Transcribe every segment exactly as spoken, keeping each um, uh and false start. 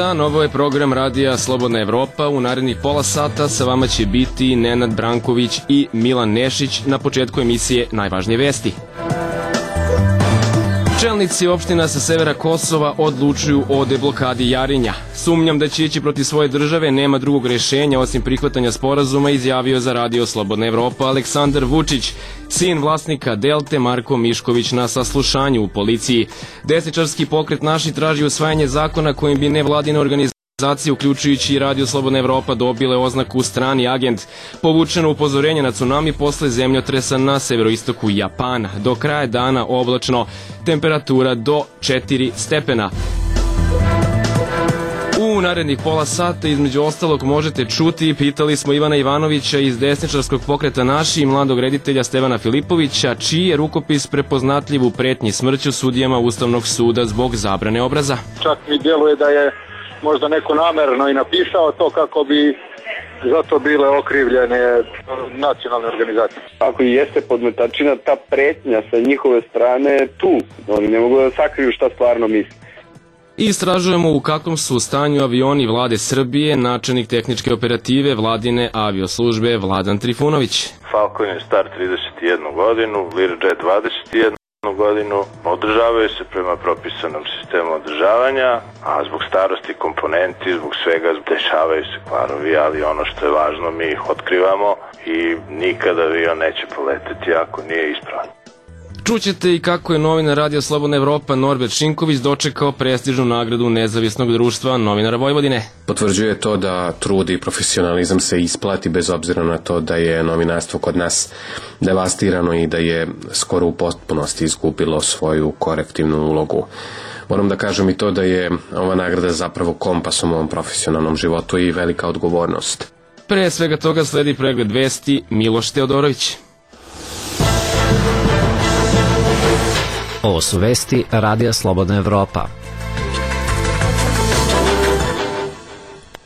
dan, ovo je program Radija Slobodna Evropa. U narednih pola sata sa vama će biti Nenad Branković i Milan Nešić. Na početku emisije najvažnije vesti. Čelnici opština sa severa Kosova odlučuju o deblokadi Jarinja. Sumnjam da će ići protiv svoje države, nema drugog rešenja osim prihvatanja sporazuma, izjavio za Radio Slobodna Evropa Aleksandar Vučić. Sin vlasnika Delte Marko Mišković na saslušanju u policiji. Desničarski pokret Naši traži usvajanje zakona kojim bi nevladine organizacije uključujući i Radio Slobodna Evropa dobile oznaku strani agent. Povučeno upozorenje na tsunami posle zemljotresa na severoistoku Japana. Do kraja dana oblačno, temperatura do četiri stepena. U narednih pola sata između ostalog možete čuti, pitali smo Ivana Ivanovića iz desničarskog pokreta Naši i mladog reditelja Stevana Filipovića, čiji je rukopis prepoznatljiv u pretnji smrću sudijama Ustavnog suda zbog zabrane obraza. Čak mi djeluje da je možda neko namerno i napisao to kako bi zato bile okrivljene nacionalne organizacije. Ako i jeste podmetačina, ta pretnja sa njihove strane tu. Oni ne mogu da sakriju šta stvarno misle. Istražujemo u kakvom su stanju avioni vlade Srbije, načelnik tehničke operative vladine avioslužbe Vladan Trifunović. Falcon je star trideset jednu godinu, Learjet dvadeset jednu godinu, održavaju se prema propisanom sistemu održavanja, a zbog starosti komponenti, zbog svega dešavaju se kvarovi, ali ono što je važno mi ih otkrivamo i nikada avion neće poleteti ako nije ispravan. Čućete i kako je novinar Radio Slobodna Evropa Norbert Šinković dočekao prestižnu nagradu Nezavisnog društva novinara Vojvodine. Potvrđuje to da trud i profesionalizam se isplati bez obzira na to da je novinarstvo kod nas devastirano i da je skoro u potpunosti izgubilo svoju korektivnu ulogu. Moram da kažem i to da je ova nagrada zapravo kompas u mom profesionalnom životu i velika odgovornost. Pre svega toga sledi pregled vesti Miloš Teodorović. Ovo su vesti Radija Slobodna Evropa.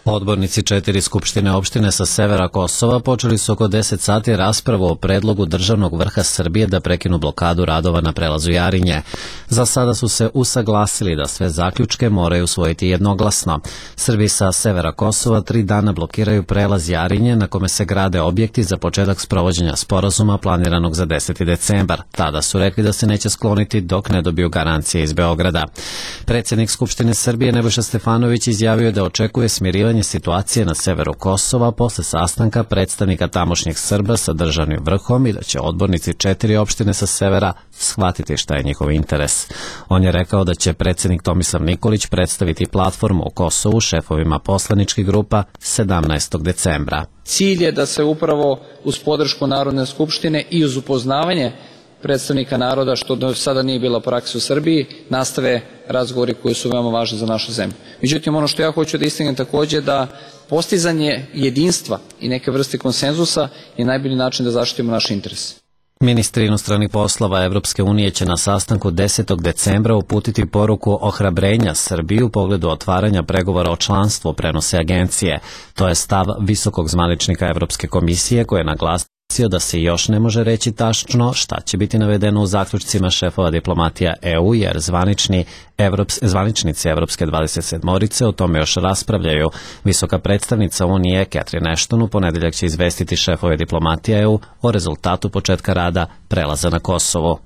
Odbornici četiri skupštine opštine sa severa Kosova počeli su oko deset sati raspravu o predlogu državnog vrha Srbije da prekinu blokadu radova na prelazu Jarinje. Za sada su se usaglasili da sve zaključke moraju usvojiti jednoglasno. Srbi sa severa Kosova tri dana blokiraju prelaz Jarinje na kome se grade objekti za početak sprovođenja sporazuma planiranog za deseti decembar. Tada su rekli da se neće skloniti dok ne dobiju garancije iz Beograda. Predsjednik Skupštine Srbije Nebojša Stefanović izjavio da očekuje smirivanje situacije na severu Kosova posle sastanka predstavnika tamošnjeg Srba sa državnim vrhom i da će odbornici četiri opštine sa severa shvatiti šta je njihov interes. On je rekao da će predsjednik Tomislav Nikolić predstaviti platformu o Kosovu šefovima poslaničkih grupa sedamnaestog decembra. Cilj je da se upravo uz podršku Narodne skupštine i uz upoznavanje predstavnika naroda, što do sada nije bila praksa u Srbiji, nastave razgovori koji su veoma važni za našu zemlju. Međutim, ono što ja hoću da istaknem takođe da postizanje jedinstva i neke vrste konsenzusa je najbolji način da zaštitimo naš interes. Ministri inostranih poslova Evropske unije će na sastanku desetog decembra uputiti poruku ohrabrenja Srbiji u pogledu otvaranja pregovora o članstvu, prenose agencije. To je stav visokog zvaničnika Evropske komisije koji je naglasio da se još ne može reći tačno šta će biti navedeno u zaključcima šefova diplomatija E U, jer zvanični Evrops, zvaničnici Evropske dvadeset sedmorice o tome još raspravljaju. Visoka predstavnica Unije Catherine Ashton u ponedeljak će izvestiti šefove diplomatija E U o rezultatu početka rada prelaza na Kosovo.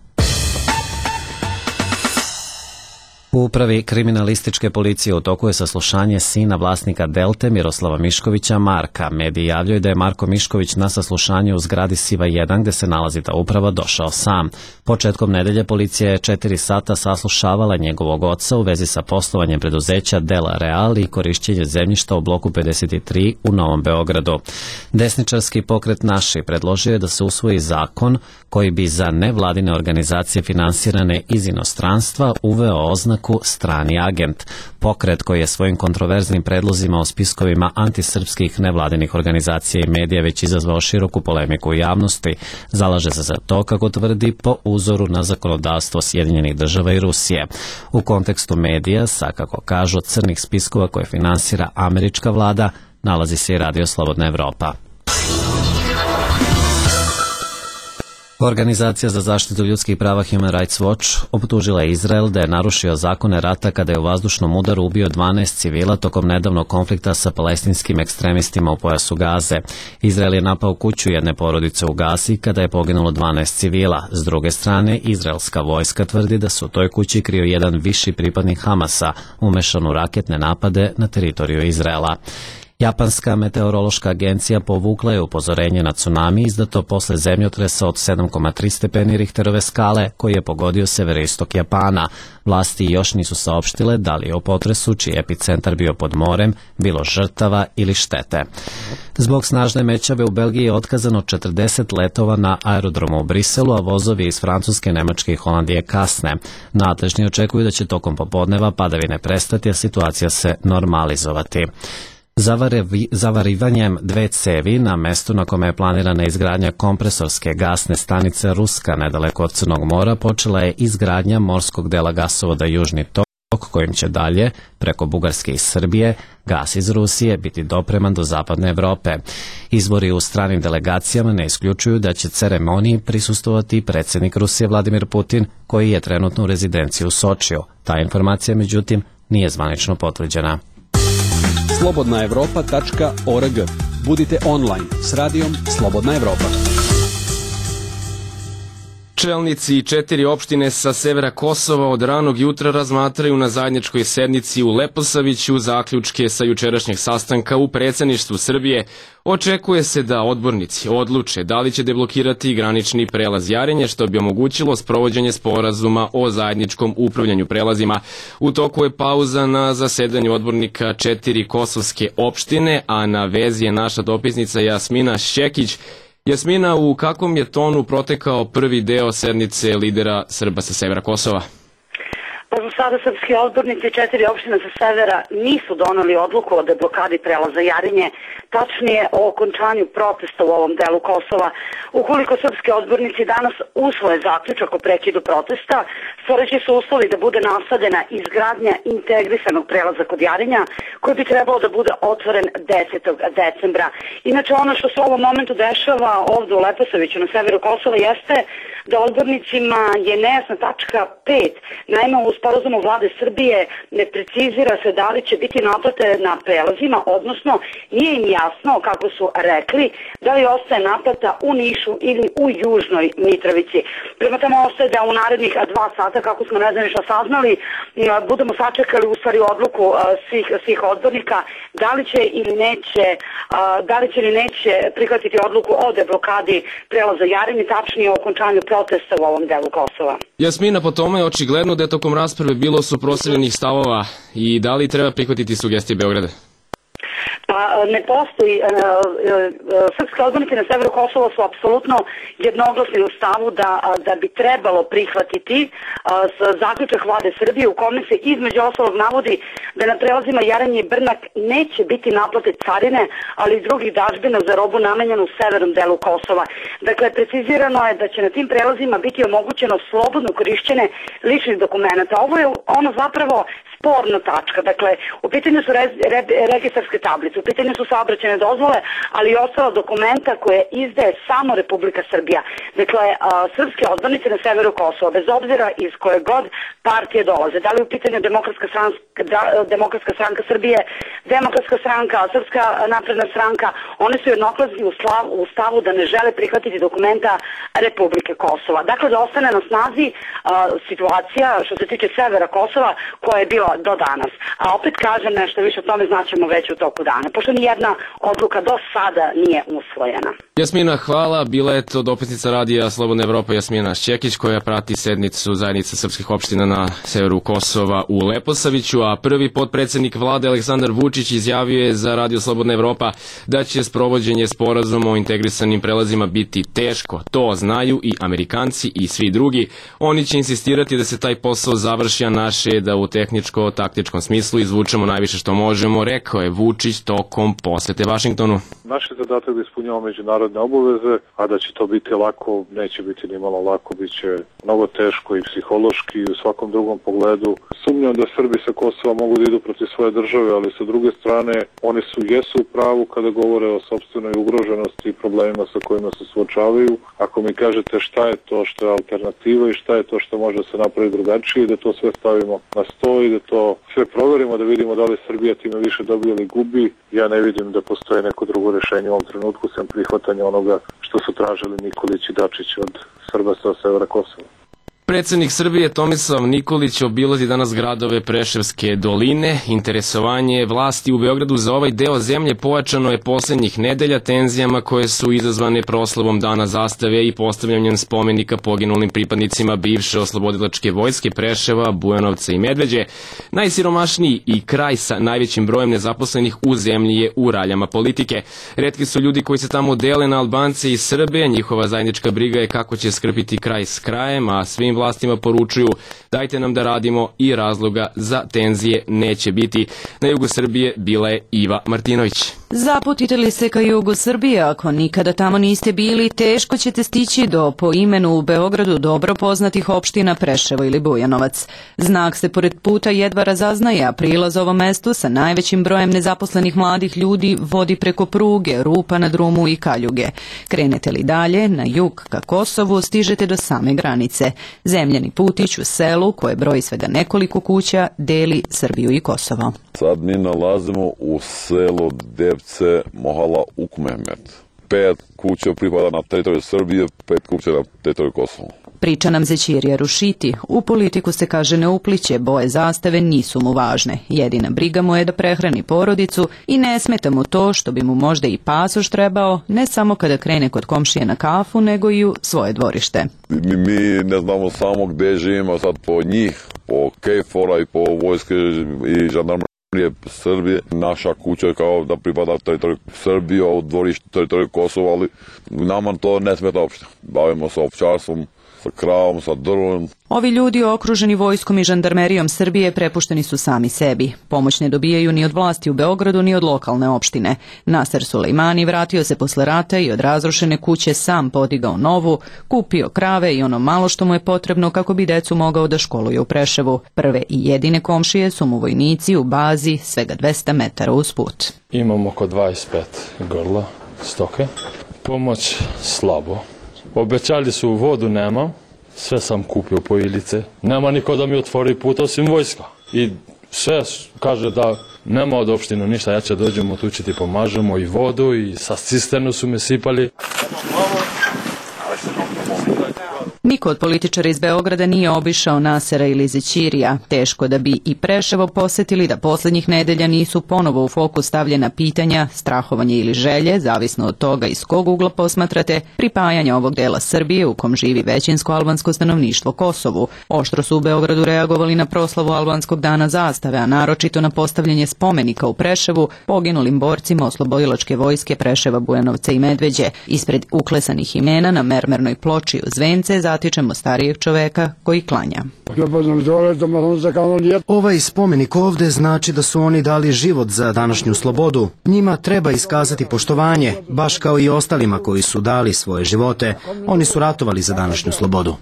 U upravi kriminalističke policije u toku je saslušanje sina vlasnika Delte Miroslava Miškovića Marka. Mediji javljaju da je Marko Mišković na saslušanje u zgradi Siva jedan gde se nalazi ta uprava došao sam. Početkom nedelje policija je četiri sata saslušavala njegovog oca u vezi sa poslovanjem preduzeća Dela Real i korišćenje zemljišta u bloku pedeset tri u Novom Beogradu. Desničarski pokret Naši predložio je da se usvoji zakon koji bi za nevladine organizacije finansirane iz inostranstva uveo oznaku strani agent. Pokret koji je svojim kontroverznim predlozima o spiskovima antisrpskih nevladinih organizacija i medija već izazvao široku polemiku u javnosti, zalaže se za to, kako tvrdi, po uzoru na zakonodavstvo Sjedinjenih država i Rusije. U kontekstu medija, sa, kako kažu, crnih spiskova koje finansira američka vlada, nalazi se i Radio Slobodna Evropa. Organizacija za zaštitu ljudskih prava Human Rights Watch optužila je Izrael da je narušio zakone rata kada je u vazdušnom udaru ubio dvanaest civila tokom nedavnog konflikta sa palestinskim ekstremistima u pojasu Gaze. Izrael je napao kuću jedne porodice u Gazi kada je poginulo dvanaest civila. S druge strane, izraelska vojska tvrdi da se u toj kući krio jedan viši pripadnik Hamasa, umešan u raketne napade na teritoriju Izraela. Japanska meteorološka agencija povukla je upozorenje na tsunami izdato posle zemljotresa od sedam zarez tri stepeni Richterove skale koji je pogodio severoistok Japana. Vlasti još nisu saopštile da li je u potresu, čiji epicentar bio pod morem, bilo žrtava ili štete. Zbog snažne mećave u Belgiji je otkazano četrdeset letova na aerodromu u Briselu, a vozovi iz Francuske, Nemačke i Holandije kasne. Nadležni očekuju da će tokom popodneva padavine prestati, a situacija se normalizovati. Zavarivanjem dve cevi na mestu na kome je planirana izgradnja kompresorske gasne stanice Ruska nedaleko od Crnog mora počela je izgradnja morskog dela gasovoda Južni tok, kojim će dalje, preko Bugarske i Srbije, gas iz Rusije biti dopreman do zapadne Evrope. Izvori u stranim delegacijama ne isključuju da će ceremoniji prisustovati predsjednik Rusije Vladimir Putin, koji je trenutno u rezidenciji u Sočiju. Ta informacija, međutim, nije zvanično potvrđena. slobodna evropa tačka org. Budite online s radijom Slobodna Evropa. Čelnici četiri opštine sa severa Kosova od ranog jutra razmatraju na zajedničkoj sednici u Leposaviću zaključke sa jučerašnjeg sastanka u predsjedništvu Srbije. Očekuje se da odbornici odluče da li će deblokirati granični prelaz Jarinje, što bi omogućilo sprovođenje sporazuma o zajedničkom upravljanju prelazima. U toku je pauza na zasedanju odbornika četiri kosovske opštine, a na vezi je naša dopisnica Jasmina Šćekić. Jasmina, u kakvom je tonu protekao prvi deo sednice lidera Srba sa severa Kosova? Pa za sada srpski odbornici četiri opštine sa severa nisu doneli odluku o deblokadi prelaza Jarinje, tačnije o okončanju protesta u ovom delu Kosova. Ukoliko srpski odbornici danas usvoje zaključak o prekidu protesta, stvoreći su uslovi da bude nastavljena izgradnja integrisanog prelaza kod Jarinja, koji bi trebalo da bude otvoren desetog decembra. Inače, ono što se u ovom momentu dešava ovdje u Leposaviću na severu Kosova jeste da odbornicima je nejasna tačka pet. Naime, u sporazumu vlade Srbije ne precizira se da li će biti naplate na prelazima, odnosno nije im jasno, kako su rekli, da li ostaje naplata u Nišu ili u Južnoj Mitrovici. Prema tome ostaje da u narednih dva sata, kako smo nezvanično saznali, budemo sačekali u stvari odluku svih, svih odbornika da li će ili neće, da li će ili neće prihvatiti odluku o deblokadi prelaza Jarinje, tačnije o okončanju protesta u ovom delu Kosova. Jasmina, po tome je očigledno da je tokom rasprave bilo suprotstavljenih stavova i da li treba prihvatiti sugestije Beograda? Pa ne postoji, srpske odbornici na severu Kosova su apsolutno jednoglasni u stavu da, da bi trebalo prihvatiti zaključak vlade Srbije u kome se između ostalog navodi da na prelazima Jaranje i Brnak neće biti naplate carine, ali i drugih dažbina za robu namenjenu u severnom delu Kosova. Dakle, precizirano je da će na tim prelazima biti omogućeno slobodno korišćenje ličnih dokumenta. Ovo je ono zapravo sporna tačka. Dakle, u pitanju su re, re, registarske tablice, u pitanju su saobraćajne dozvole, ali i ostala dokumenta koje izdaje samo Republika Srbija. Dakle, a, srpske odbornice na severu Kosova, bez obzira iz koje god partije dolaze, da li u pitanju Demokratska stranka, da, Demokratska stranka Srbije, Demokratska stranka, Srpska napredna stranka, one su jednoglasni u, u stavu da ne žele prihvatiti dokumenta Republike Kosova. Dakle, da ostane na snazi a, situacija što se tiče severa Kosova koja je bila do danas. A opet kažem nešto više o tome znaćemo već u toku dana, pošto nijedna odluka do sada nije usvojena. Jasmina, hvala. Bila je to dopisnica radija Slobodna Evropa Jasmina Šćekić, koja prati sednicu zajednice srpskih opština na severu Kosova u Leposaviću, a prvi potpredsjednik vlade Aleksandar Vučić izjavio je za radio Slobodna Evropa da će sprovođenje sporazuma o integrisanim prelazima biti teško. To znaju i Amerikanci i svi drugi. Oni će insistirati da se taj posao završi, a naše je da u tehničkom vojničko-taktičkom smislu izvučemo najviše što možemo, rekao je Vučić tokom posete Vašingtonu. Naš je zadatak da ispunjamo međunarodne obaveze, a da će to biti lako, neće biti ni malo lako, bit će mnogo teško i psihološki i u svakom drugom pogledu. Sumnjam da Srbi sa Kosova mogu da idu protiv svoje države, ali sa druge strane oni su jesu u pravu kada govore o sopstvenoj ugroženosti i problemima sa kojima se suočavaju. Ako mi kažete šta je to što je alternativa i šta je to što može da se napravi drugačije, da to sve stavimo na sto i da to sve proverimo, da vidimo da li Srbija time više dobija ili gubi, ja ne vidim da postoje neko drugo rešenje u ovom trenutku sem prihvatanja onoga što su tražili Nikolić i Dačić od Srba sa severa Kosova. Predsednik Srbije Tomislav Nikolić obilazi danas gradove Preševske doline. Interesovanje vlasti u Beogradu za ovaj deo zemlje pojačano je poslednjih nedelja tenzijama koje su izazvane proslavom Dana zastave i postavljanjem spomenika poginulim pripadnicima bivše oslobodilačke vojske Preševa, Bujanovca i Medveđe. Najsiromašniji i kraj sa najvećim brojem nezaposlenih u zemlji je u raljama politike. Retki su ljudi koji se tamo dele na Albance i Srbe, njihova zajednička briga je kako će skrpiti kraj s krajem, a svim vlastima poručuju dajte nam da radimo i razloga za tenzije neće biti. Na jugu Srbije bila je Iva Martinović. Zaputite li se ka jugu Srbije, ako nikada tamo niste bili, teško ćete stići do po imenu u Beogradu dobro poznatih opština Preševo ili Bujanovac. Znak se pored puta jedva razaznaje, a prilaz ovom mestu sa najvećim brojem nezaposlenih mladih ljudi vodi preko pruge, rupa na drumu i kaljuge. Krenete li dalje, na jug ka Kosovu, stižete do same granice. Zemljani putić u selu, koje broji svega nekoliko kuća, deli Srbiju i Kosovo. Sad mi nalazimo u selu Devce, Mohala, Ukmehmet. Pet kuća pripada na teritoriju Srbije, pet kuća na teritoriju Kosova. Priča nam Zećirija Rušiti. U politiku se kaže ne upliće, boje zastave nisu mu važne. Jedina briga mu je da prehrani porodicu i ne smeta mu to što bi mu možda i pasoš trebao, ne samo kada krene kod komšije na kafu, nego i u svoje dvorište. Mi, mi ne znamo samo gde živimo sad po njih, po Kejfora i po vojske i žandarmerije Srbije. Naša kuća je kao da pripada teritoriju Srbije, a u dvorištu teritoriju Kosova, ali nama to ne smeta uopšte. Bavimo se ovčarstvom, sa kravom, sa drvom. Ovi ljudi okruženi vojskom i žandarmerijom Srbije prepušteni su sami sebi. Pomoć ne dobijaju ni od vlasti u Beogradu ni od lokalne opštine. Naser Sulejmani vratio se posle rata i od razrušene kuće sam podigao novu, kupio krave i ono malo što mu je potrebno kako bi decu mogao da školuje u Preševu. Prve i jedine komšije su mu vojnici u bazi svega dvesta metara uz put. Imam oko dvadeset pet grla stoke. Pomoć slabo. Obećali su vodu nema, sve sam kupio po Ilice. Nema niko da mi otvori put osim vojska. I sve kaže da nema od opštine ništa, ja će dođemo tu će ti pomažemo i vodu i sa cisternu su me sipali. Niko od političara iz Beograda nije obišao Nasera ili Zećirija. Teško da bi i Preševo posetili da poslednjih nedelja nisu ponovo u fokus stavljena pitanja, strahovanje ili želje, zavisno od toga iz kog ugla posmatrate, pripajanja ovog dela Srbije u kom živi većinsko albansko stanovništvo Kosovu. Oštro su u Beogradu reagovali na proslavu albanskog dana zastave, a naročito na postavljanje spomenika u Preševu poginulim borcima oslobodilačke vojske Preševa, Bujanovca i Medveđe. Ispred uklesanih imena na mermernoj ploči uz vence zatičemo starijeg čoveka koji klanja. Ovaj spomenik ovde znači da su oni dali život za današnju slobodu. Njima treba iskazati poštovanje, baš kao i ostalima koji su dali svoje živote. Oni su ratovali za današnju slobodu.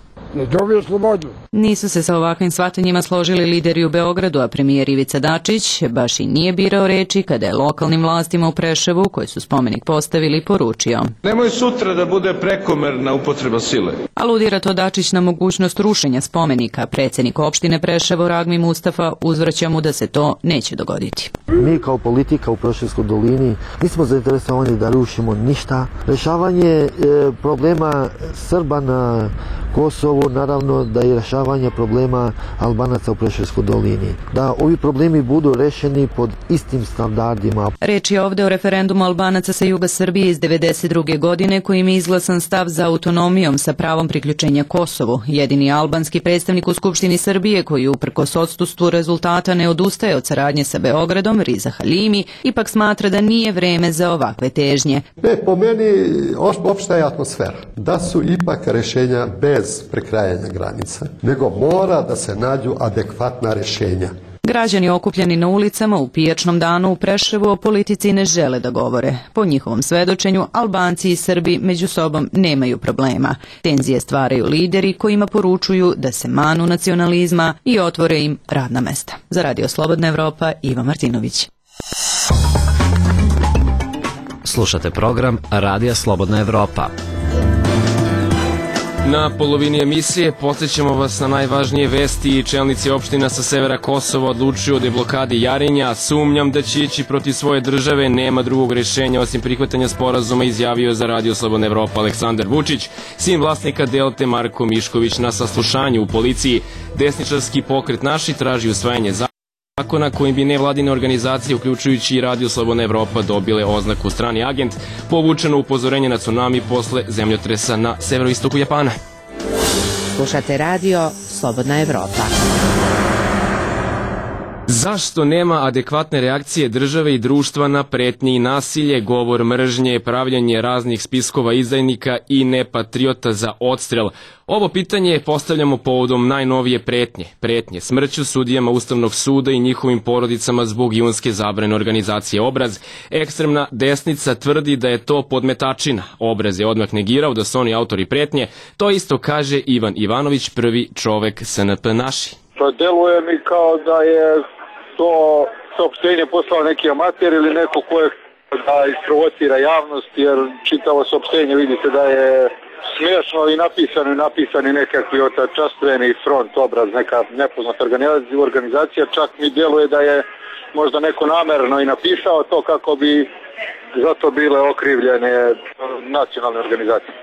Nisu se sa ovakvim shvatanjima složili lideri u Beogradu, a premijer Ivica Dačić baš i nije birao reči kada je lokalnim vlastima u Preševu, koji su spomenik postavili, poručio. Nemoj sutra da bude prekomerna upotreba sile. Aludira to Dačić na mogućnost rušenja spomenika. Predsjednik opštine Preševo Ragmi Mustafa uzvraća mu da se to neće dogoditi. Mi kao politika u Preševskoj dolini nismo zainteresovani da rušimo ništa. Rešavanje e, problema Srba na Kosovu, naravno da je rešavanje problema Albanaca u Preševskoj dolini. Da ovi problemi budu rešeni pod istim standardima. Reč je ovde o referendumu Albanaca sa juga Srbije iz devedeset druge godine kojim je izglasan stav za autonomijom sa pravom priključenja Kosovu. Jedini albanski predstavnik u Skupštini Srbije koji uprkos odsustvu rezultata ne odustaje od saradnje sa Beogradom, Riza Halimi, ipak smatra da nije vreme za ovakve težnje. Ne, po meni opšta je atmosfera. Da su ipak rešenja bez prekrajanja granica, nego mora da se nađu adekvatna rešenja. Građani okupljeni na ulicama u pijačnom danu u Preševu o politici ne žele da govore. Po njihovom svedočenju, Albanci i Srbi među sobom nemaju problema. Tenzije stvaraju lideri kojima poručuju da se manu nacionalizma i otvore im radna mesta. Za Radio Slobodna Evropa, Iva Martinović. Slušate program Radija Slobodna Evropa. Na polovini emisije podsjećamo vas na najvažnije vesti. Čelnici opština sa severa Kosova odlučuju o deblokadi Jarinja. Sumnjam da će ići protiv svoje države, nema drugog rešenja osim prihvatanja sporazuma, izjavio za Radio Slobodna Evropa Aleksandar Vučić. Sin vlasnika Delte Marko Mišković na saslušanju u policiji. Desničarski pokret Naši traži usvajanje zakona kojim bi nevladine organizacije, uključujući i Radio Slobodna Evropa, dobile oznaku strani agent, povučeno upozorenje na tsunami posle zemljotresa na severoistoku Japana. Slušate Radio Slobodna Evropa. Zašto nema adekvatne reakcije države i društva na pretnje i nasilje, govor mržnje, pravljanje raznih spiskova izdajnika i nepatriota za odstrel? Ovo pitanje postavljamo povodom najnovije pretnje. Pretnje smrću sudijama Ustavnog suda i njihovim porodicama zbog junske zabrane organizacije Obraz. Ekstremna desnica tvrdi da je to podmetačina. Obraz je odmah negirao da su oni autori pretnje. To isto kaže Ivan Ivanović, prvi čovek S N P Naši. Pa deluje mi kao da je to saopštenje poslao neki amater ili neko ko je da isprovocira javnost, jer čitavo saopštenje vidite da je smiješno i napisano i napisani nekakvi otačastveni front, Obraz, neka nepoznata organizacija, čak mi djeluje da je možda neko namerno i napisao to kako bi zato bile okrivljene nacionalne organizacije.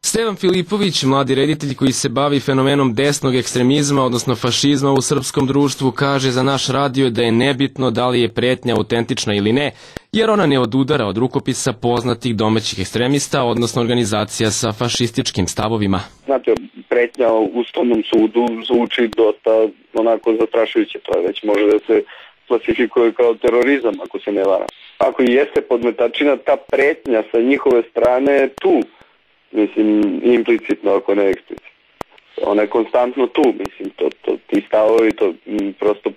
Stevan Filipović, mladi reditelj koji se bavi fenomenom desnog ekstremizma, odnosno fašizma u srpskom društvu, kaže za naš radio da je nebitno da li je pretnja autentična ili ne, jer ona ne odudara od rukopisa poznatih domaćih ekstremista, odnosno organizacija sa fašističkim stavovima. Znate, pretnja u Ustavnom sudu zvuči dosta onako zastrašujuće, to je već može da se klasifikuje kao terorizam, ako se ne varam. Ako i jeste podmetačina, ta pretnja sa njihove strane je tu. Mislim, implicitno, ako ne eksplicitno. Ona je konstantno tu, mislim, to, to, ti stavovi, to m, prosto,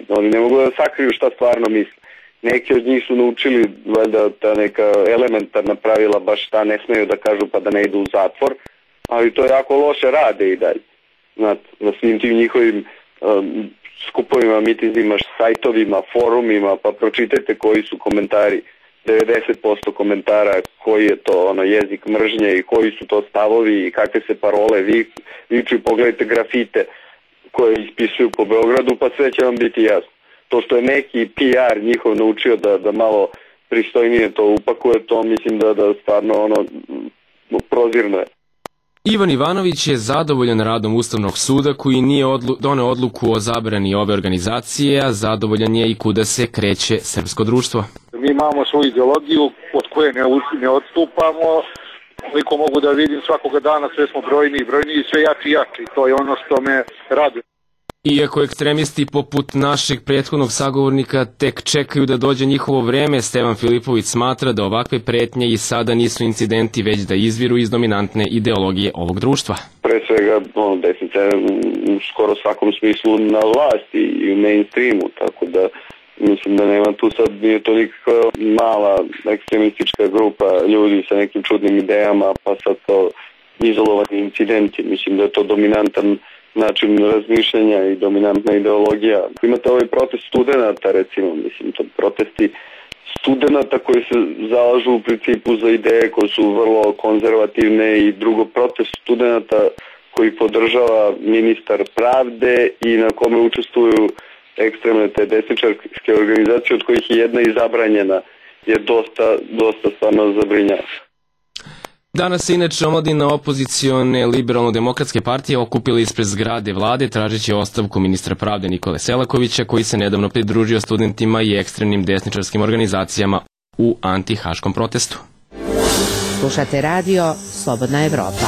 oni ne mogu da sakriju šta stvarno misle. Neki od njih su naučili, valjda, ta neka elementarna pravila, baš šta ne smeju da kažu pa da ne idu u zatvor, ali to jako loše rade i dalje. Znate, na svim tim njihovim um, skupovima, mitizima, sajtovima, forumima, pa pročitajte koji su komentari. devedeset posto komentara koji je to ono jezik mržnje i koji su to stavovi i kakve se parole vi, viču i pogledajte grafite koje ispisuju po Beogradu, pa sve će vam biti jasno. To što je neki P R njihov naučio da, da malo pristojnije to upakuje, to mislim da, da stvarno ono prozirno je. Ivan Ivanović je zadovoljan radom Ustavnog suda koji nije odlu, doneo odluku o zabrani ove organizacije, a zadovoljan je i kuda se kreće srpsko društvo. Mi imamo svoju ideologiju od koje ne, ne odstupamo. Koliko mogu da vidim, svakoga dana sve smo brojni i brojni i sve jači i jači. To je ono što me raduje. Iako ekstremisti poput našeg prethodnog sagovornika tek čekaju da dođe njihovo vreme, Stevan Filipović smatra da ovakve pretnje i sada nisu incidenti, već da izviru iz dominantne ideologije ovog društva. Pre svega, ono, desnica je u skoro svakom smislu na vlasti i u mainstreamu, tako da mislim da nema tu sad, nije to nikakva mala ekstremistička grupa ljudi sa nekim čudnim idejama, pa sad to izolovani incidenti. Mislim da je to dominantan način razmišljanja i dominantna ideologija. Imate ovaj protest studenta, recimo, mislim, to protesti studenta koji se zalažu u principu za ideje koje su vrlo konzervativne i drugo protest studenta koji podržava ministar pravde i na kome učestvuju ekstremne te desničarske organizacije, od kojih je jedna i zabranjena, je dosta, dosta stvarno zabrinjava. Danas se inače omladina opozicione liberalno-demokratske partije okupila ispred zgrade vlade tražeći ostavku ministra pravde Nikole Selakovića, koji se nedavno pridružio studentima i ekstremnim desničarskim organizacijama u antihaškom protestu. Slušate Radio Slobodna Evropa.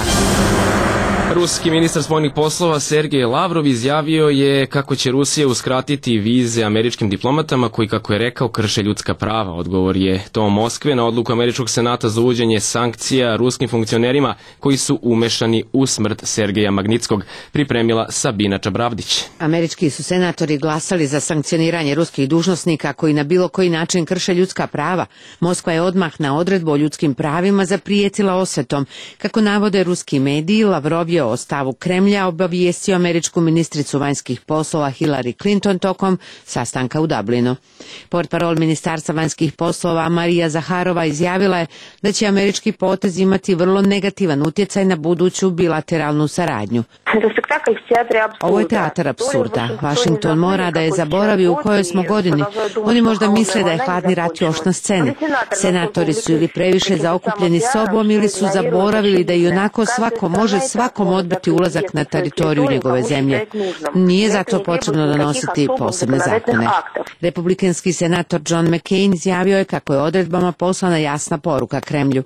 Ruski ministar spoljnih poslova Sergej Lavrov izjavio je kako će Rusija uskratiti vize američkim diplomatama koji, kako je rekao, krše ljudska prava. Odgovor je to Moskve na odluku Američkog senata za uvođenje sankcija ruskim funkcionerima koji su umešani u smrt Sergeja Magnitskog, pripremila Sabina Čabravdić. Američki su senatori glasali za sankcioniranje ruskih dužnosnika koji na bilo koji način krše ljudska prava. Moskva je odmah na odredbu o ljudskim pravima zaprijetila osvetom. Kako navode ruski mediji, Lavrov je o stavu Kremlja obavijestio američku ministricu vanjskih poslova Hillary Clinton tokom sastanka u Dublinu. Portparol Ministarstva vanjskih poslova Marija Zaharova izjavila je da će američki potez imati vrlo negativan utjecaj na buduću bilateralnu saradnju. Ovo je teatar apsurda. Washington mora da je zaboravi u kojoj smo godini. Oni možda misle da je hladni rat još na sceni. Senatori su ili previše zaokupljeni sobom ili su zaboravili da i onako svako može svakom odbiti ulazak na teritoriju njegove zemlje. Nije zato potrebno donositi posebne zakone. Republikanski senator John McCain izjavio je kako je odredbama poslana jasna poruka Kremlju.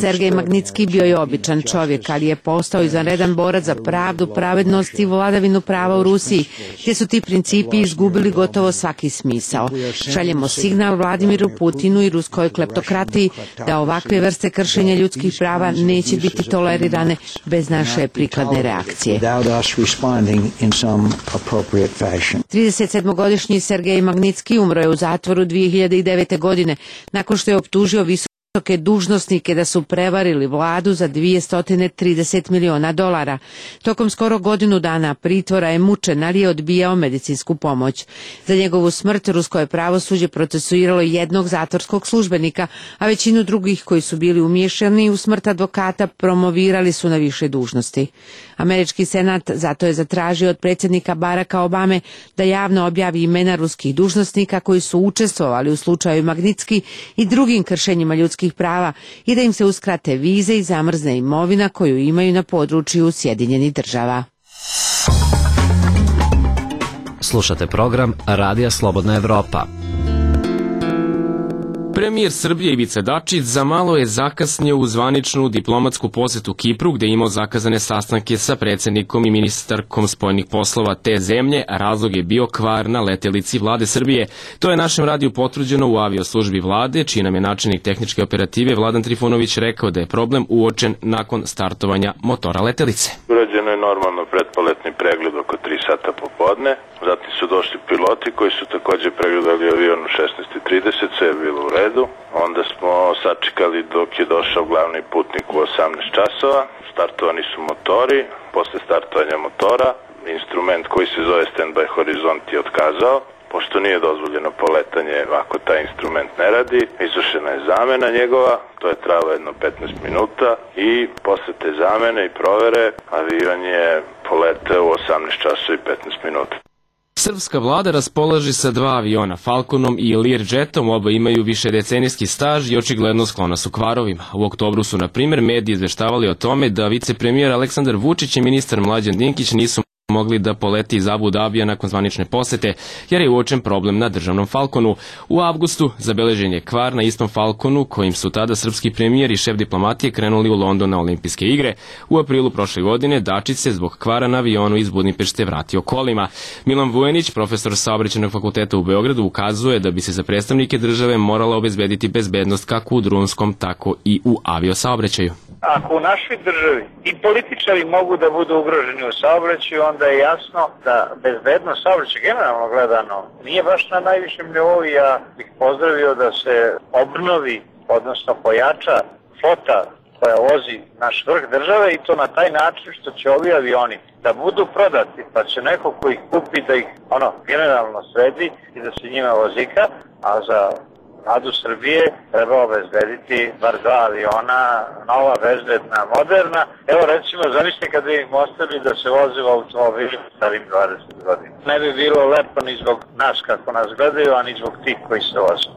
Sergej Magnitski bio je običan čovjek, ali je postao izvanredan borac za pravdu, pravednost i vladavinu prava u Rusiji, gdje su ti principi izgubili gotovo svaki smisao. Šaljemo signal Vladimiru Putinu i ruskoj kleptokratiji da ovakve vrste kršenja ljudskih prava neće biti tolerirane bez naše prikladne reakcije. tridesetsedmogodišnji Sergej Magnitski umro je u zatvoru dvije hiljade devete. godine nakon što je optužio visoke dužnosnike da su prevarili vladu za dvjesto trideset miliona dolara. Tokom skoro godinu dana pritvora je mučen, ali je odbijao medicinsku pomoć. Za njegovu smrt rusko je pravosuđe procesuiralo jednog zatvorskog službenika, a većinu drugih koji su bili umiješani u smrt advokata promovirali su na više dužnosti. Američki senat zato je zatražio od predsjednika Baracka Obame da javno objavi imena ruskih dužnosnika koji su učestvovali u slučaju Magnitski i drugim kršenjima ljudskih prava i da im se uskrate vize i zamrzne imovina koju imaju na području Sjedinjenih Država. Slušate program Radija Slobodna Evropa. Premijer Srbije Ivica Dačić za malo je zakasnio u zvaničnu diplomatsku posjetu Kipru, gde je imao zakazane sastanke sa predsjednikom i ministarkom spoljnih poslova te zemlje, a razlog je bio kvar na letelici vlade Srbije. To je našem radiju potvrđeno u avioslužbi vlade, čiji nam je načelnik tehničke operative Vladan Trifunović rekao da je problem uočen nakon startovanja motora letelice. Urađeno je normalno pretpoletni pregled oko tri sata popodne, zatim su došli piloti koji su također pregledali avion u šesnaest i trideset, sve je bilo u redu. Onda smo sačekali dok je došao glavni putnik u osamnaest časova, startovani su motori, posle startovanja motora instrument koji se zove Standby Horizont je otkazao, pošto nije dozvoljeno poletanje ako taj instrument ne radi. Izvršena je zamena njegova, to je trajalo jedno petnaest minuta i posle te zamene i provere avion je poleteo u osamnaest časova i petnaest minuta. Srpska vlada raspolaže sa dva aviona, Falconom i Learjetom, oba imaju višedecenijski staž i očigledno sklona su kvarovima. U oktobru su, na primjer, mediji izveštavali o tome da vicepremijer Aleksandar Vučić i ministar Mlađan Dinkić nisu mogli da poleti iz Abu Dabija nakon zvanične posete, jer je uočen problem na državnom Falconu. U avgustu zabeležen je kvar na istom Falconu, kojim su tada srpski premijer i šef diplomatije krenuli u London na olimpijske igre. U aprilu prošle godine Dačić se zbog kvara na avionu iz Budimpešte vratio kolima. Milan Vujanić, profesor Saobraćajnog fakulteta u Beogradu, ukazuje da bi se za predstavnike države morala obezbediti bezbednost kako u drumskom, tako i u aviosaobraćaju. Ako u našoj državi i političari mogu da budu ugroženi u saobraćaju, onda je jasno da bezbednost saobraćaja generalno gledano nije baš na najvišem nivou. Ja bih pozdravio da se obnovi, odnosno pojača flota koja vozi naš vrh države i to na taj način što će ovi avioni da budu prodati, pa će neko ko ih kupi da ih ono generalno sredi i da se njima vozika, a za Vladu Srbije treba obezbediti bar dva aviona, nova, bezbedna, moderna. Evo recimo, zamislite kada im ostavili da se voze u automobilu starim dvadeset godina. Ne bi bilo lepo ni zbog nas kako nas gledaju, a ni zbog tih koji se voze.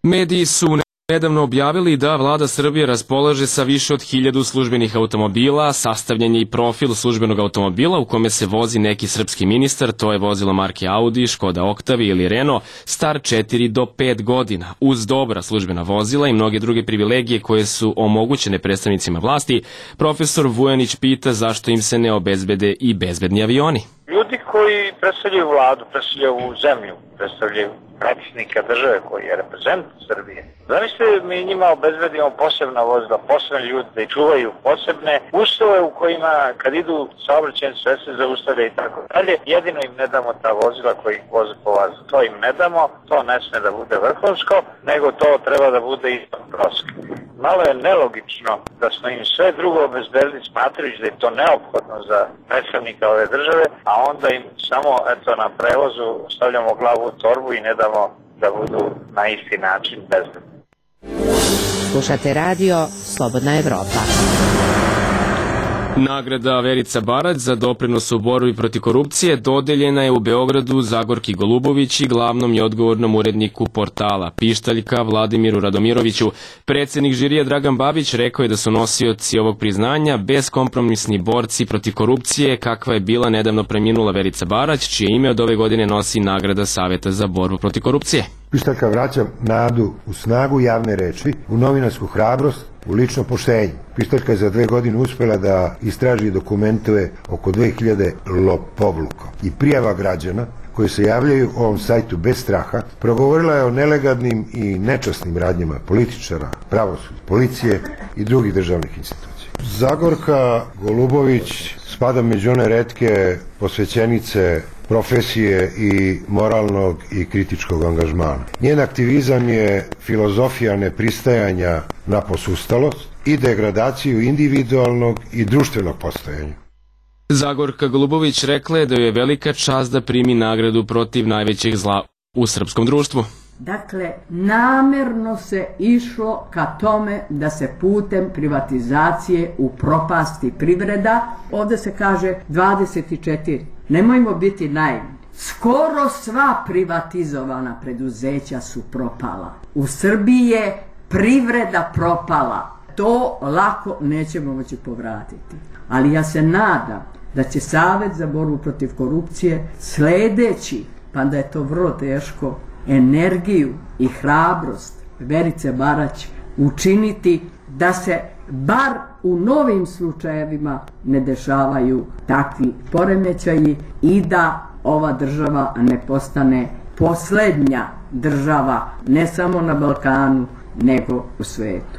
Mediji su Nedavno objavili da vlada Srbije raspolaže sa više od hiljadu službenih automobila, sastavljen je i profil službenog automobila u kome se vozi neki srpski ministar, to je vozilo marke Audi, Škoda Octavia ili Renault, star četiri do pet godina. Uz dobra službena vozila i mnoge druge privilegije koje su omogućene predstavnicima vlasti, profesor Vujanić pita zašto im se ne obezbede i bezbedni avioni. Ljudi koji predstavljaju vladu, predstavljaju ovu zemlju, predstavljaju predsjednika države koji je reprezent Srbije. Zamislite, mi njima obezbedimo posebna vozila, posebne ljude da ih čuvaju, posebne uslove u kojima kad idu saobraćajne sredstva zaustavlja i tako dalje. Jedino im ne damo ta vozila koji ih voze po vazu. To im ne damo, to ne sme da bude vrhunsko, nego to treba da bude ispod proske. Malo je nelogično da smo im sve drugo obezbedili smatrajući da je to neophodno za predstavnika ove države, a onda im samo eto na prevozu stavljamo glavu u torbu i ne damo da budu na isti način bezbedni. Slušate radio Slobodna Evropa. Nagrada Verica Barać za doprinos u borbi protiv korupcije dodeljena je u Beogradu Zagorki Golubović i glavnom i odgovornom uredniku portala Pištaljka Vladimiru Radomiroviću. Predsjednik žirija Dragan Babić rekao je da su nosioci ovog priznanja beskompromisni borci protiv korupcije, kakva je bila nedavno preminula Verica Barać, čije ime od ove godine nosi nagrada Saveta za borbu protiv korupcije. Pištaljka vraća nadu u snagu javne reči, u novinarsku hrabrost, u lično poštenje. Pištaljka je za dve godine uspjela da istraži i dokumentuje oko dve hiljade lopovluka i prijava građana koji se javljaju u ovom sajtu bez straha. Progovorila je o nelegalnim i nečasnim radnjama političara, pravosuđa, policije i drugih državnih institucija. Zagorka Golubović spada među one retke posvećenice profesije i moralnog i kritičkog angažmana. Njen aktivizam je filozofija nepristajanja na posustalost i degradaciju individualnog i društvenog postojanja. Zagorka Golubović rekla je da je velika čast da primi nagradu protiv najvećeg zla u srpskom društvu. Dakle, namerno se išlo ka tome da se putem privatizacije upropasti privreda. Ovdje se kaže dvadeset četiri. Nemojmo biti naivni. Skoro sva privatizovana preduzeća su propala. U Srbiji je privreda propala. To lako nećemo moći povratiti. Ali ja se nadam da će Savet za borbu protiv korupcije sledeći, pa da je to vrlo teško, energiju i hrabrost Verice Barać učiniti da se bar u novim slučajevima ne dešavaju takvi poremećaji i da ova država ne postane posljednja država ne samo na Balkanu nego u svetu.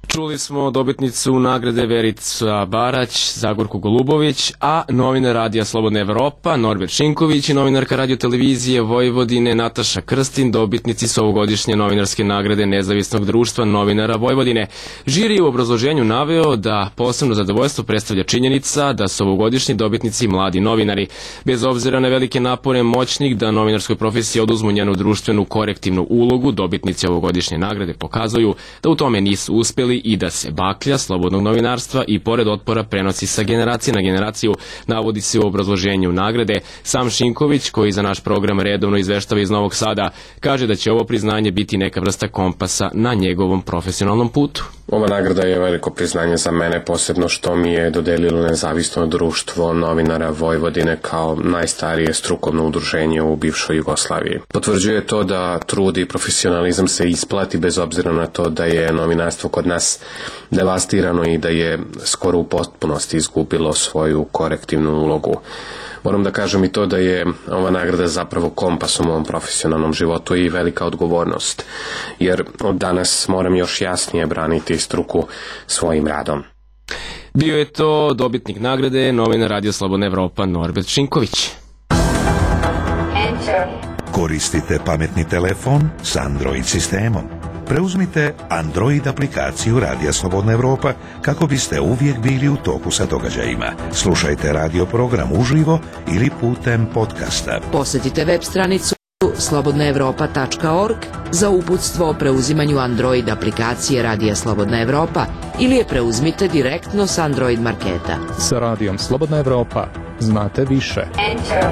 Čuli smo dobitnicu nagrade Verica Barać, Zagorku Golubović, a novinar Radija Slobodna Evropa, Norbert Šinković i novinarka Radio televizije Vojvodine Nataša Krstin, dobitnici su ovogodišnje novinarske nagrade Nezavisnog društva novinara Vojvodine. Žiri je u obrazloženju naveo da posebno zadovoljstvo predstavlja činjenica da su ovogodišnji dobitnici mladi novinari. Bez obzira na velike napore moćnih da novinarskoj profesiji oduzmu njenu društvenu korektivnu ulogu, dobitnici ovogodišnje nagrade pokazuju da u tome nisu uspjeli i da se baklja slobodnog novinarstva i pored otpora prenosi sa generacije na generaciju, navodi se u obrazloženju nagrade. Sam Šinković, koji za naš program redovno izveštava iz Novog Sada, kaže da će ovo priznanje biti neka vrsta kompasa na njegovom profesionalnom putu. Ova nagrada je veliko priznanje za mene, posebno što mi je dodelilo Nezavisno društvo novinara Vojvodine kao najstarije strukovno udruženje u bivšoj Jugoslaviji. Potvrđuje to da trud i profesionalizam se isplati bez obzira na to da je novinarstvo kod nas devastirano i da je skoro u potpunosti izgubilo svoju korektivnu ulogu. Moram da kažem i to da je ova nagrada zapravo kompas u mom profesionalnom životu i velika odgovornost, jer od danas moram još jasnije braniti struku svojim radom. Bio je to dobitnik nagrade, novinar Radio Slobodna Evropa Norbert Šinković. Koristite pametni telefon s Android sistemom. Preuzmite Android aplikaciju Radija Slobodna Evropa kako biste uvijek bili u toku sa događajima. Slušajte radio program uživo ili putem podcasta. Posjetite web stranicu slobodna evropa tačka org za uputstvo o preuzimanju Android aplikacije Radija Slobodna Evropa ili je preuzmite direktno s Android marketa. Sa Radijom Slobodna Evropa znate više. Enter.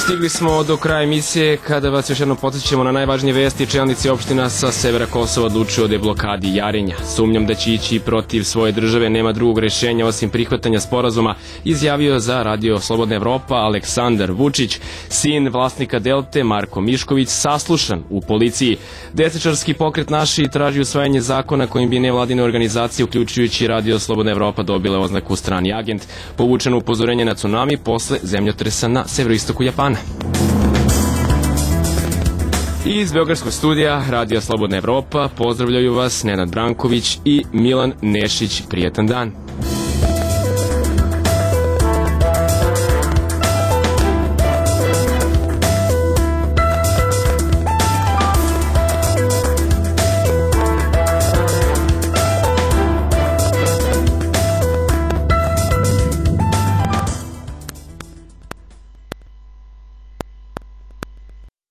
Stigli smo do kraja emisije kada vas još jednom podsjećamo na najvažnije vesti. Čelnici opština sa severa Kosova odlučuju o deblokadi Jarinja. Sumnjam da će ići protiv svoje države, nema drugog rešenja osim prihvatanja sporazuma, izjavio za Radio Slobodna Evropa Aleksandar Vučić, sin vlasnika Delte Marko Mišković, saslušan u policiji. Desničarski pokret Naši traži usvajanje zakona kojim bi nevladine organizacije, uključujući Radio Slobodna Evropa, dobile oznaku strani agent. Povučeno upozorenje na tsunami posle zemljotresa na severoistoku Japana. I iz Beogradskog studija Radio Slobodna Evropa pozdravljaju vas Nenad Branković i Milan Nešić. Prijetan dan.